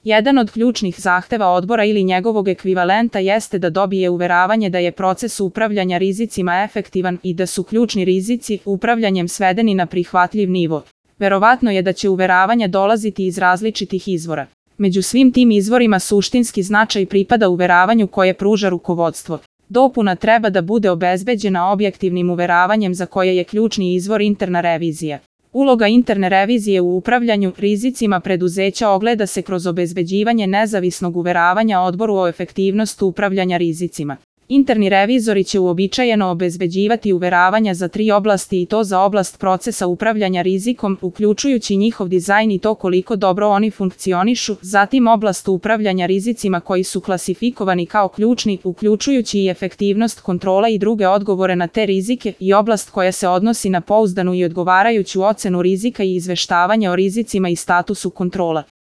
Jedan od ključnih zahteva odbora ili njegovog ekvivalenta jeste da dobije uveravanje da je proces upravljanja rizicima efektivan i da su ključni rizici upravljanjem svedeni na prihvatljiv nivo. Verovatno je da će uveravanja dolaziti iz različitih izvora. Među svim tim izvorima suštinski značaj pripada uveravanju koje pruža rukovodstvo. Dopuna treba da bude obezbeđena objektivnim uveravanjem za koje je ključni izvor interna revizija. Uloga interne revizije u upravljanju rizicima preduzeća ogleda se kroz obezbeđivanje nezavisnog uveravanja odboru o efektivnosti upravljanja rizicima. Interni revizori će uobičajeno obezbeđivati uveravanja za 3 oblasti i to za oblast procesa upravljanja rizikom, uključujući njihov dizajn i to koliko dobro oni funkcionišu, zatim oblast upravljanja rizicima koji su klasifikovani kao ključni, uključujući i efektivnost kontrola i druge odgovore na te rizike i oblast koja se odnosi na pouzdanu i odgovarajuću ocenu rizika i izveštavanje o rizicima i statusu kontrola.